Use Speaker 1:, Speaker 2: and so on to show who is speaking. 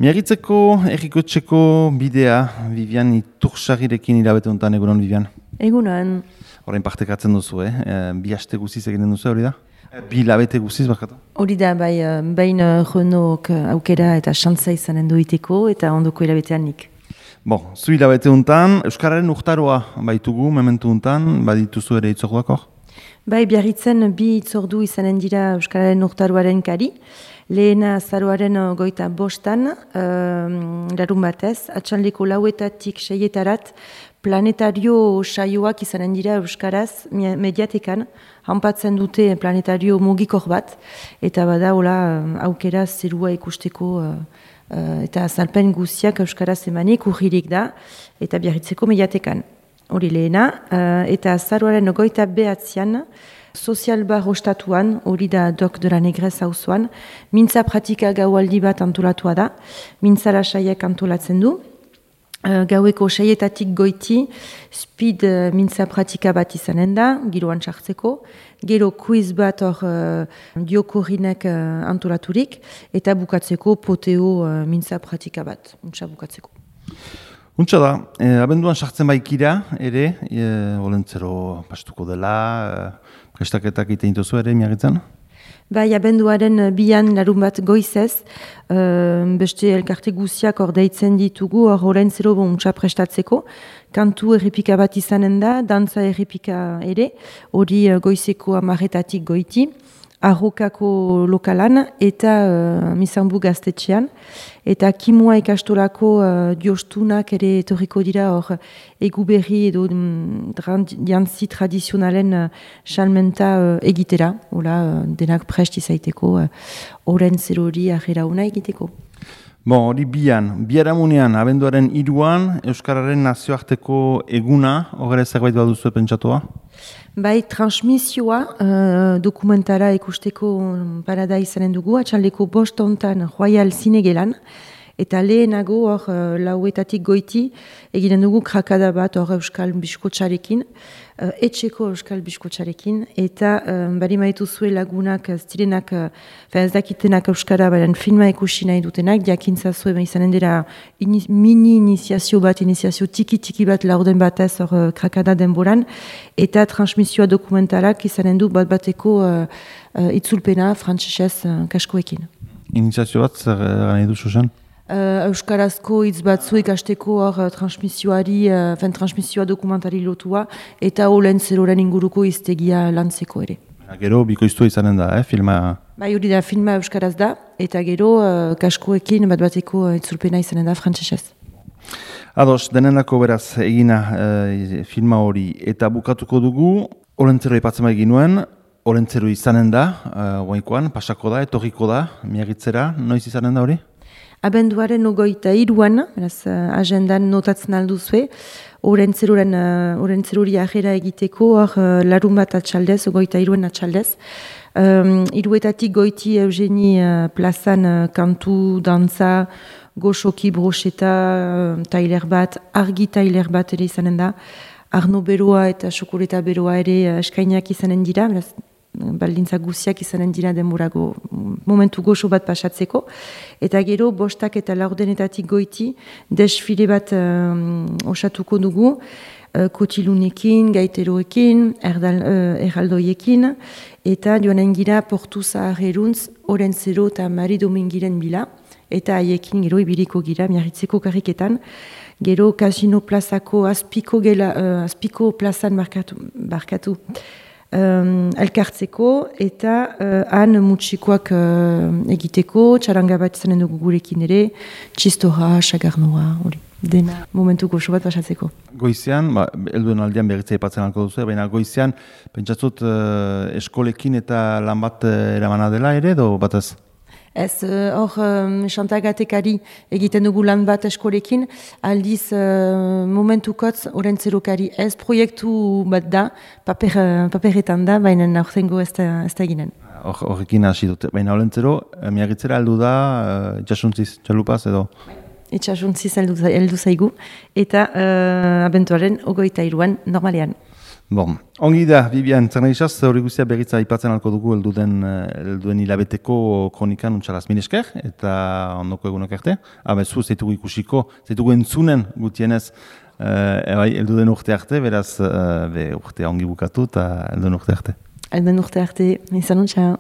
Speaker 1: Miagitzeko errikotxeko bidea, Vivian Itursagirekin hilabete honetan, egunon, Vivian?
Speaker 2: Egunon.
Speaker 1: Horrein partekatzen duzu, bi aste guziz egiten duzu, hori da? Bi hilabete guziz, barkatu?
Speaker 2: Hori da, bain Renault aukera eta xantza izanen duiteko eta ondoko hilabetean nik.
Speaker 1: Zu hilabete honetan, Euskararen urtaroa baitugu, mementu honetan, badituzu ere itzorduak hor?
Speaker 2: Biarritzen bi itzordu izanen dira Euskararen urtaroaren kari. Lehena azaroaren 25, larun batez, atxaldeko 4:00 6:00 planetario saioak izanen dira Euskaraz mediatekan, hanpatzen dute planetario mugikor bat, eta bada aukera zerua ikusteko eta azalpen guziak Euskaraz emanik urririk da, eta Biarritzeko mediatekan. Hori lehena, eta azaroaren 29 Sozial bar ostatuan, hori da Dok de la Negrez auzoan, mintza pratika gaualdi bat antolatua da, mintzara saiek antolatzen du. Gaueko 6:00 goiti, speed mintza pratika bat izanen da, giroan sartzeko, gero quiz bat hor diokorrinek antolaturik, eta bukatzeko poteo mintza pratika bat, untsa bukatzeko.
Speaker 1: Untsa da, abenduan sartzen baikira, ere, olentzero pastuko dela, prestaketak egiten dituzu ere, Miagitzen?
Speaker 2: Abenduaren 2 larun bat goizez, beste elkarte guziak hor deitzen ditugu, hor olentzero untsa prestatzeko, kantu errepika bat izanen da, dantza errepika ere, hori goizeko 10:00 goiti, Arrokako lokalan eta Mizanbu gaztetxean. Eta kimua ikastolako diostunak ere etorriko dira hor eguberri edo jantzi tradizionalen salmenta egitera. Denak prest izaiteko oren zerori ahera una egiteko.
Speaker 1: Hori biharamunean, abenduaren 3 Euskararen nazioarteko eguna, horre zerbait baduzu pentsatua?
Speaker 2: Transmisioa dokumentara ikusteko parada izanen dugu, atxaldeko 5 hontan Royal Zinegelan, eta lehenago hor 4:00 goiti eginen dugu krakada bat hor Euskal Biskotxarekin, etxeko Euskal Biskotxarekin, eta bari maitu zuen lagunak zirenak, ez dakitenak Euskara, baren filma ikusi nahi dutenak, diakintza zuen izanen dira mini iniziazio tiki bat laurden batez hor krakada denboran, eta transmisioa dokumentalak izanen du bateko itzulpena frantsesez kaskoekin.
Speaker 1: Iniziazio bat, zer nahi duzu zen?
Speaker 2: Euskarazko hitz batzu ikasteko hor transmisioa dokumentari lotua, eta olentzeroren inguruko iztegia lantzeko ere.
Speaker 1: Gero, bikoiztua izanen da, filma?
Speaker 2: Hori da, filma Euskaraz da, eta gero kaskoekin bateko itzulpena izanen da frantsesez.
Speaker 1: Ados, denenako beraz egina filma hori, eta bukatuko dugu, olentzero ipatzen bai ginuen, olentzero izanen da, guainkoan, pasako da, etorriko da, Miagitzera, noiz izanen da hori?
Speaker 2: Abenduaren 23, agendan notatzen alduzue, orentzeruri ahera egiteko, hor larun bat atxaldez, 23 atxaldez. 3:00 goiti Eugeni plazan kantu, dantza, goxoki, broxeta, tailer bat, argi tailer bat ere izanen da, Arno beroa eta xokoleta beroa ere eskainiak izanen dira, baldintza guziak izanen dira denborago momentu goxo bat pasatzeko, eta gero 5:00 eta 4:00 goiti desfile bat osatuko dugu, kotilunekin, gaiteroekin, erraldoiekin, eta joanen gira Portu Zaharreruntz, Orentzero eta Mari Domingiren bila, eta haiekin gero ibiliko gira Miarritzeko karriketan, gero Kasino plazako azpiko plazan barkatu, elkartzeko, eta han mutxikoak egiteko, txaranga bat izanen dugu gurekin ere, txistora, xagarnoa, hori, dena momentu goxo bat pasatzeko.
Speaker 1: Goizean, helduen aldean berritzea ipatzen alko duzu, baina goizean, pentsatzut eskolekin eta lan bat eramana dela ere, edo batez?
Speaker 2: Ez, hor, xantagatekari egiten dugu lan bat eskolekin, aldiz momentukotz orentzerokari ez proiektu bat da, paperetan da, baina aurtengo ez da eginen.
Speaker 1: Horrekin hasi dute, baina orentzero, Miagitzera heldu da, itxasuntziz, txalupaz edo?
Speaker 2: Itxasuntziz heldu zaigu, eta abentuaren 23 normalean.
Speaker 1: Bon, ongi da, Bibian, zer nahi izaz, hori guztia berritza aipatzen alko dugu helduen hilabeteko kronikan untxalaz minesker, eta ondoko egunak arte. Zu, zeitugu ikusiko, zeitugu entzunen gutienez, helduen urte arte, beraz, urtea ongi bukatu eta helduen urte arte.
Speaker 2: Helduen urte arte, izan untxa.